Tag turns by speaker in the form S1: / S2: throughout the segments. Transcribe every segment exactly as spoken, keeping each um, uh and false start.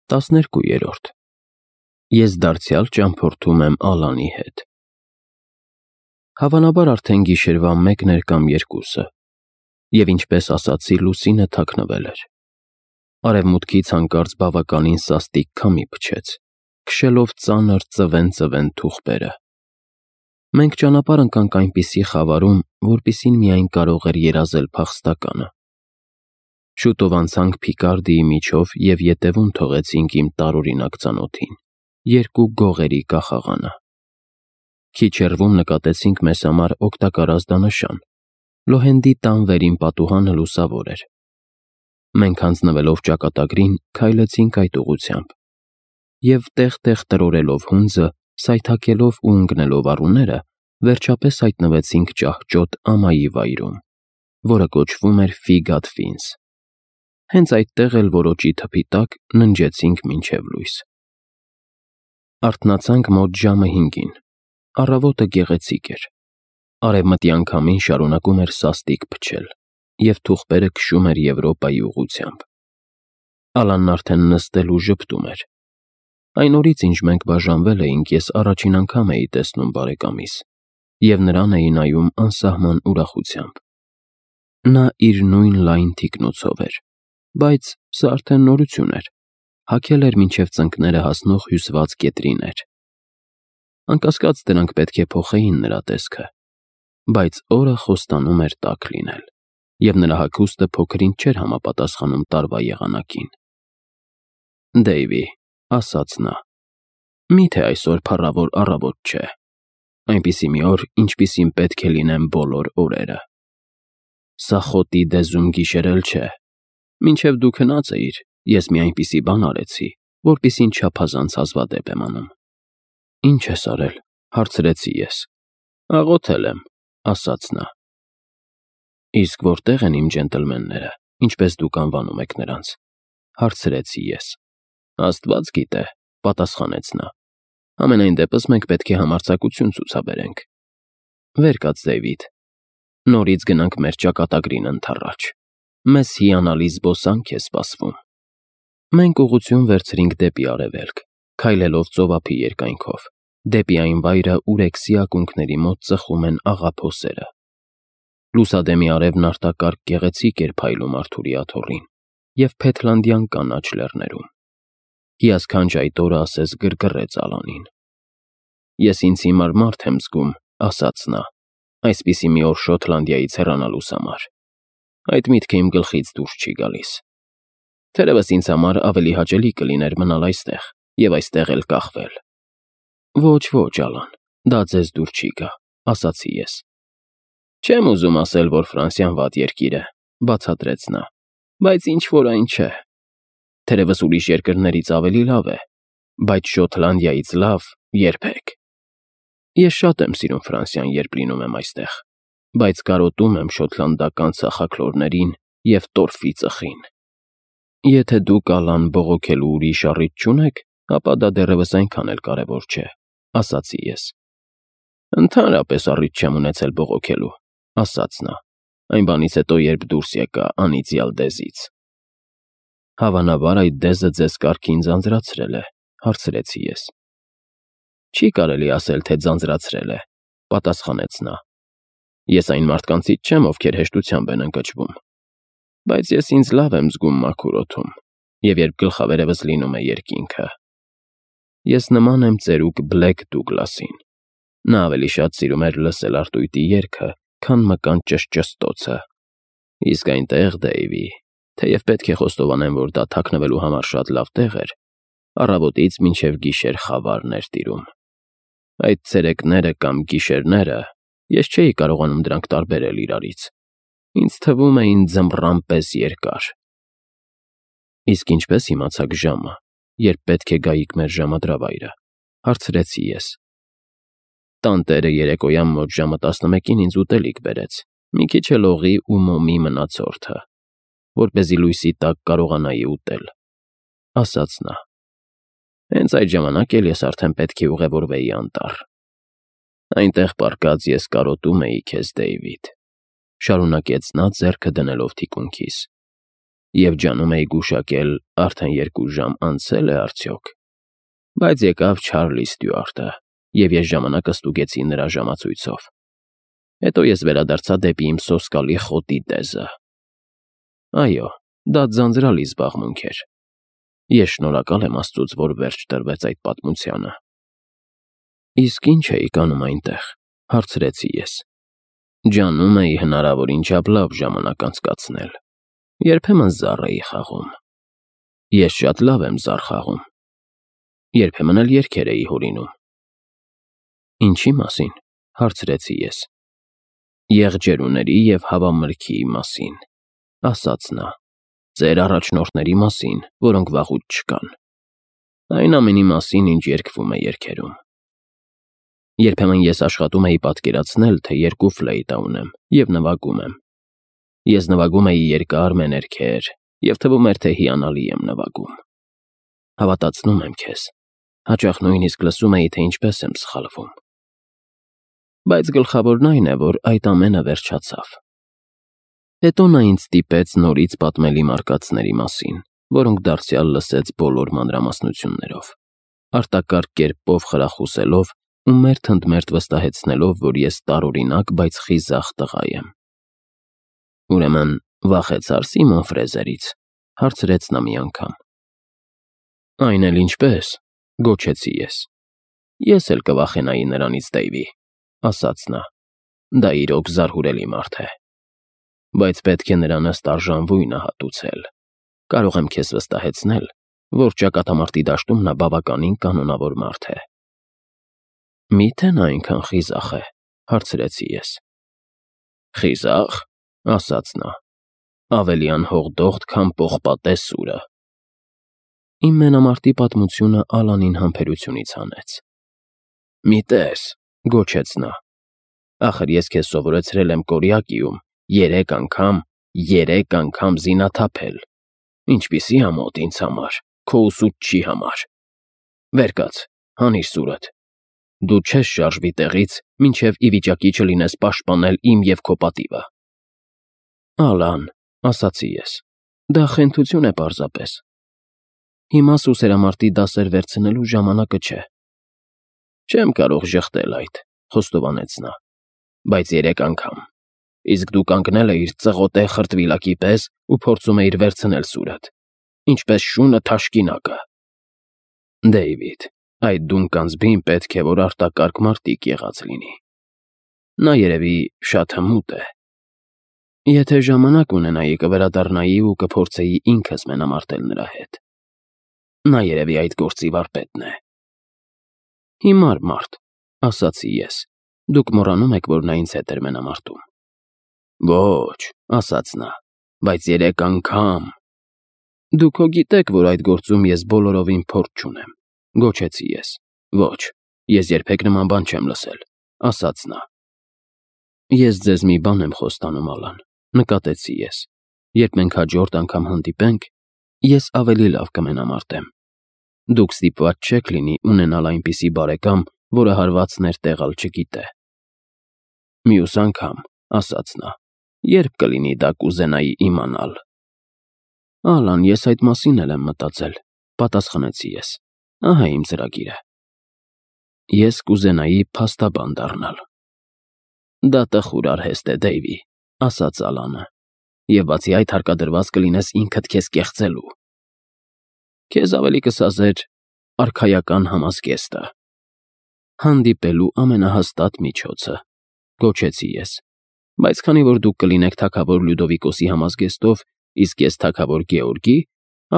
S1: տասներկուերորդ Ես դարձյալ ճամփորդում եմ Ալանի հետ։ Հավանաբար արդեն գիշերվա մեկն էր կամ երկուսը, և ինչպես ասացի, լուսինը թաքնվել էր։ Արևմուտքից հանկարծ բավականին սաստիկ քամի փչեց, քշելով ծանր ծվեն-ծվեն թուղթերը։ Մենք ճանապարհ ընկանք այնպիսի խավարում, որպիսին միայն կարող էր երազել փախստականը։ Շուտով անցանք Փիկարդիի միջով և ետևում թողեցինք իմ տարօրինակ ծանոթին՝ երկու գողերի կախաղանը։ Քիչ հեռվում նկատեցինք մեզ համար օգտակար ազդանշան. Լոհենդի տան վերին պատուհանը լուսավոր էր։ Մենք հանձնվելով ճակատագրին, քայլեցինք այդ ուղղությամբ և, տեղ-տեղ տրորելով հունձը, սայթաքելով ու ընկնելով առուները, վերջապես հայտնվեցինք ճահճոտ ամայի վայրում, որը կոչվում էր Ֆիգադ Ֆինս։ Հենց այդտեղ էլ որոճի թփի տակ ննջեցինք մինչև լույս։ Արթնացանք մոտ ժամը հինգին։ Առավոտը գեղեցիկ էր։ Արևմտյան քամին շարունակում էր սաստիկ փչել, և թուղթերը քշում էր Եվրոպայի ուղղությամբ։ Ալանն արդեն նստել ու ժպտում էր։ Այն օրից, ինչ մենք բաժանվել էինք, ես առաջին անգամ էի տեսնում բարեկամիս, և նրան էի նայում անսահման ուրախությամբ։ Նա իր նույն լայն թիկնոցով էր, բայց սա արդեն նորություն էր, հագել էր մինչև ծնկները հասնող հյուսված կետրիներ։ Անկասկած, դրանք պետք է փոխեին նրա տեսքը, բայց օրը խոստանում էր տաք լինել, և նրա հագուստը փոքր-ինչ չէր համապատասխանում տարվա եղանակին։ «Դեյվի», ասաց նա, «մի՞թե այսօր փառավոր առավոտ չէ, այնպիսի մի օր, ինչպիսին պետք է լինեն բոլոր օրերը։ Սա խոտի դեզում գիշեր էլ չէ։ Մինչև դու քնած էիր, ես մի այնպիսի բան արեցի, որպիսին չափազանց հազվադեպ եմ անում»։ «Ի՞նչ ես արել», հարցրեցի ես։ «Աղոթել եմ», ասաց նա։ «Իսկ որտե՞ղ են իմ ջենտլմենները, ինչպես դուք անվանում եք նրանց», հարցրեցի ես։ «Աստված գիտե», պատասխանեց նա։ «Համենայն դեպս մենք պետք է համարձակություն ցուցաբերենք։ Վեր կաց, Դեյվիդ, նորից գնանք մեր ճակատագրին ընդառաջ։ Մեզ հիանալի զբոսանք է սպասվում»։ Մենք ուղղություն վերցրինք դեպի արևելք, քայլելով ծովափի երկայնքով, դեպի այն վայրը, ուր Էքսի ակունքների մոտ ծխում են աղափոսերը։ Լուսադեմի արևն արտակարգ գեղեցիկ էր փայլում Արթուրի աթոռին և Փեթլանդյան կանաչ լեռներում։ Հիասքանչ այդ օրը ասես գրգռեց Ալանին։ «Ես ինձ հիմար մարդ եմ զգում», ասաց նա, «այսպիսի մի օր Շոտլանդիայից հեռանալուս համար։ Այդ միտքը իմ գլխից դուրս չի գալիս։ Թերևս ինձ համար ավելի հաճելի կլիներ մնալ այստեղ և այստեղ էլ կախվել»։ «Ոչ, ոչ, Ալան, դա ձեզ դուր չի գա», ասացի ես։ «Չեմ ուզում ասել, որ Ֆրանսիան վատ երկիր է», բացատրեց նա, «բայց ինչ֊որ այն չէ։ Թերևս ուրիշ երկրներից ավելի լավ է, բայց Շոտլանդիայից լավ երբեք։ Ես շատ եմ սիրում Ֆրանսիան, երբ լինում եմ այստեղ, բայց կարոտում եմ շոտլանդական ծխախլորներին և տորֆի ծխին։ Եթե դուք, Ալան, բողոքելու ուրիշ առիթ չունեք, ապա դա դեռևս այնքան էլ կարևոր չէ», ասացի ես։ «Ընդհանրապես առիթ չեմ ունեցել բողոքելու», ասաց նա, «այն բանից հետո, երբ դուրս եկա անիծյալ դեզից»։ «Հավանաբար այդ դեզը ձեզ կարգին ձանձրացրել է», հարցրեցի ես։ «Չի կարելի ասել, թե ձանձրացրել է», պատասխանեց նա։ «Ես այն մարդկանցից չեմ, ովքեր հեշտությամբ են ընկճվում, բայց ես ինձ լավ եմ զգում մաքուր օդում, և երբ գլխավերևս լինում է երկինքը։ Ես նման եմ ծերուկ Բլեք Դուգլասին։ Նա ավելի շատ սիրում էր լսել արտույտի երգը, քան մկան ճշճստոցը։ Իսկ այնտեղ, Դեյվի, թեև պետք է խոստովանեմ, որ դա թաքնվելու համար շատ լավ տեղ էր, առավոտից մինչև գիշեր խավարն էր տիրում։ Այդ ցերեկները կամ գիշերները, ես չէի կարողանում դրանք տարբերել իրարից, ինձ թվում էին ձմռան պես երկար»։ «Իսկ ինչպե՞ս իմացաք ժամը, երբ պետք է գայիք մեր ժամադրավայրը», հարցրեցի ես։ «Տանտերը երեկոյան մոտ ժամը տասնմեկին ինձ ուտելիք բերեց, մի քիչ էլ օղի ու մոմի մնացորդը, որպեսզի լույսի տակ կարողանայի ուտել», ասաց նա։ «Հենց այդ ժամանակ էլ ես արդեն պետք է ուղևորվեի անտառ։ Այնտեղ պառկած ես կարոտում էի քեզ, Դեյվիդ», շարունակեց նա, ձեռքը դնելով թիկունքիս։ և ջանում էի գուշակել արդեն երկու ժամ անցե՞լ է արդյոք, բայց եկավ Չարլի Ստյուարտը, և ես ժամանակը ստուգեցի նրա ժամացույցով։ Հետո ես վերադարձա դեպի իմ սոսկալի խոտի տեզը։ Այո, դա ձանձրալի զբաղմունք էր։ Ես շնորհակալ եմ Աստծուց, որ վերջ տրվեց այդ պատմությանը։ Իսկ ի՞նչ էիք անում այնտեղ, հարցրեցի ես։ Ջանում էի հնարավորին չափ լավ ժամանակ անցկացնել։ Երբեմն զառ էի խաղում։ Ես շատ լավ եմ զառ խաղում։ Երբեմն էլ երգեր էի հորինում։ Ինչի մասին, հարցրեցի ես։ Եղջերուների և հավամրգի մասին, ասաց նա, ձեր առաջնորդների մասին, որոնք վաղուց չկան։ Այն ամենի մասին, ինչ երգվում է երգերում։ Երբեմն ես աշխատում էի պատկերացնել, թե երկու ֆլեյտա ունեմ և նվագում եմ։ Ես նվագում էի երկար մեներքեր, և թվում էր, թե հիանալի եմ նվագում։ Հավատացնում եմ քեզ, հաճախ նույնիսկ լսում էի, թե ինչպես եմ սխալվում։ Բայց գլխավորն այն է, որ այդ ամենը վերջացավ։ Հետո նա ինձ ստիպեց նորից պատմել իմ արկածների մասին, որոնք դարձյալ լսեց բոլոր մանրամասնություններով, արտակարգ կերպով խրախուսելով ու մերթ ընդ մերթ վստահեցնելով, որ ես տարօրինակ, բայց խիզախ տղա եմ։ Ուրեմն վախեցա՞ր Սիմոն Ֆրեզերից, հարցրեց նա մի անգամ։ Այն էլ ինչպես, գոչեցի ես։ Ես էլ կվախենայի նրանից, Դեյվի, ասաց նա, դա իրոք զարհուրելի մարդ է։ Բայց պետք է նրան ըստ արժանվույնը հատուցել։ Կարող եմ քեզ վստահեցնել, որ ճակատամարտի դաշտում նա բավականին կանոնավոր մարդ է։ Մի՞թե նա այնքան խիզախ է, հարցրեցի ես։ Խիզախ, ասաց նա, ավելի անհողդողդ, քան պողպատե սուրը։ Իմ մենամարտի պատմությունը Ալանին համբերությունից հանեց։ Մի տես, գոչեց նա, ախր ես քեզ սովորեցրել եմ Կորյակիում երեք անգամ, երեք անգամ զինաթափել, ինչպիսի ամոթ ինձ համար, քո ուսուցչի համար։ Վեր կաց, հանիր սուրդ։ Դու չես շարժվի տեղից, մինչև ի վիճակի չլինես պաշտպանել իմ և քո պատիվը։ Ալան, ասացի ես, դա խենթություն է պարզապես։ Հիմա սուսերամարտի դասեր վերցնելու ժամանակը չէ։ Չեմ կարող ժխտել այդ, խոստովանեց նա, բայց երեք անգամ, իսկ դու կանգնել էիր ծղոտե խրտվիլակի պես ու փորձում էիր վերցնել սուրդ, ինչպես շունը թաշկինակը։ Դեյվիդ, այդ դունկանձբին պետք է, որ արտակարգ մարտիկ եղած լինի։ Նա երևի շատ հմուտ է։ Եթե ժամանակ ունենայի, կվերադառնայի ու կփորձեի ինքս մենամարտել նրա հետ։ Նա երևի այդ գործի վարպետն է։ Հիմար մարդ, ասացի ես, դուք մոռանում եք, որ նա ինձ հետ էր մենամարտում։ Ոչ, ասաց նա, բայց երեք անգամ։ Դուք հո գիտեք, որ այդ գործում ես բոլորովին փորձ չունեմ, գոչեցի ես։ Ոչ, ես երբեք նման բան չեմ լսել, ասաց նա։ Ես ձեզ մի բան եմ խոստանում, Ալան, նկատեցի ես։ Երբ մենք հաջորդ անգամ հանդիպենք, ես ավելի լավ կմենամարտեմ։ Դուք ստիպված չեք լինի ունենալ այնպիսի բարեկամ, որը հարվածներ տեղալ չգիտե։ Մյուս անգամ, ասաց նա, երբ կլինի դա կուզենայի իմանալ։ Ալան, ես այդ մասին էլ եմ մտածել, պատասխանեցի ես։ Ահա իմ ծրագիրը։ Ես կուզենայի փաստաբան դառնալ։ Դա տխուր արհեստ է, Դեյվի, ասաց Ալանը, և բացի այդ հարկադրված կլինես ինքդ քեզ կեղծելու։ Քեզ ավելի կսազեր արքայական համազգեստը։ Հանդիպելու ամենահաստատ միջոցը, գոչեցի ես, բայց քանի որ դուք կլինեք թագավոր Լյուդովիկոսի համազգեստով, իսկ ես թագավոր Գեորգի,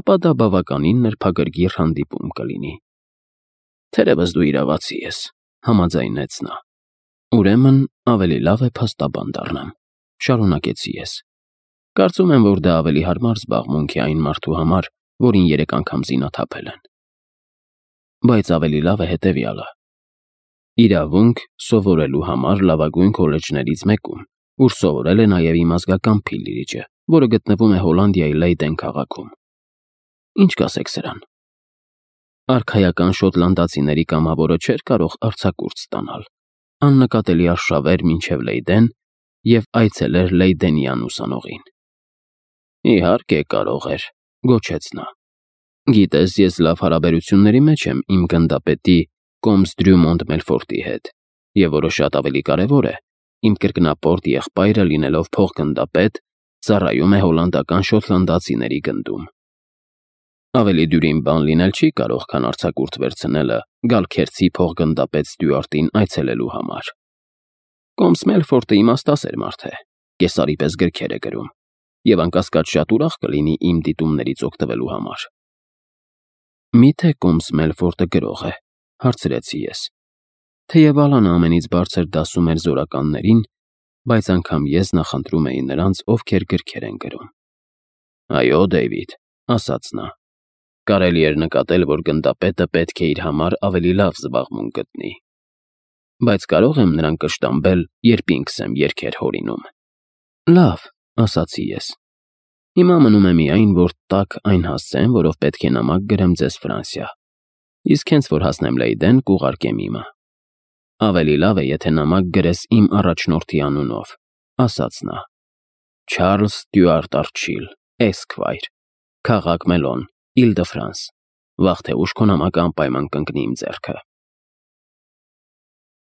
S1: ապա դա բավականին նրբագրգիռ հանդիպում կլինի։ Թերևս դու իրավացի ես, համաձայնեց նա։ Ուրեմն ավելի լավ է փաստաբան դառնամ, շարունակեցի ես։ Կարծում եմ, որ դա ավելի հարմար զբաղմունք է այն մարդու համար, որին երեք անգամ զինաթափել են։ Բայց ավելի լավ է հետևյալը։ Իրավունք սովորելու համար լավագույն քոլեջներից մեկում, ուր սովորել է նաև իմ ազգական փիլիրիջը, որը գտնվում է Հոլանդիայի Լեյդեն քաղաքում։ Ինչ կասեք սրան։ Արքայական շոտլանդացիների կամավորը չէր կարող արձակուրդ ստանալ, աննկատելի արշավեր մինչև Լեյդեն և այցելեր Լեյդենյան ուսանողին։ Իհարկե կարող էր, գոչեց նա։ Գիտես, ես լավ հարաբերությունների մեջ եմ իմ գնդապետի Կոմս Դրյումոնդ Մելֆորտի հետ, և որը շատ ավելի կարևոր է, իմ կրկնապորտ եղբայրը լինելով փոխգնդապետ, ծառայում է հոլանդական շոտլանդացիների գնդում։ Ավելի դյուրին բան լինել չի կարող, քան արձակուրդ վերցնելը Գալքերցի փոխգնդապետ Ստյուարտին այցելելու համար։ Կոմս Մելֆորտը իմաստասեր մարդ է, կեսարի պես գրքեր է գրում, և անկասկած շատ ուրախ կլինի իմ դիտումներից օգտվելու համար։ Մի՞թե Կոմս Մելֆորտը գրող է, հարցրեցի ես։ Թեև Ալանը ամենից բարձր դասում էր զորականներին, բայց անգամ ես նախընտրում էի նրանց, ովքեր գրքեր են գրում։ Այո, Դեյվիդ, ասաց նա։ Կարելի էր նկատել, որ գնդապետը պետք է իր համար ավելի լավ զբաղմունք գտնի։ Բայց կարող եմ նրան կշտամբել, երբ ինքս եմ երգեր հորինում։ Լավ, ասացի ես։ Հիմա մնում է միայն, որ տաք այն հասցեմ, որով պետք է նամակ գրեմ ձեզ Ֆրանսիա, իսկ հենց որ հասնեմ Լեյդեն, կուղարկեմ իմը։ Ավելի լավ է, եթե նամակ գրես իմ առաջնորդի անունով, ասաց նա։ Չարլզ Ստյուարտ Արչիլ, Էսքվայր, Քաղաք Մելոն, Իլ դը Ֆրանս։ Վաղ թե ուշ քո նամակը անպայման կընկնի իմ ձեռքը։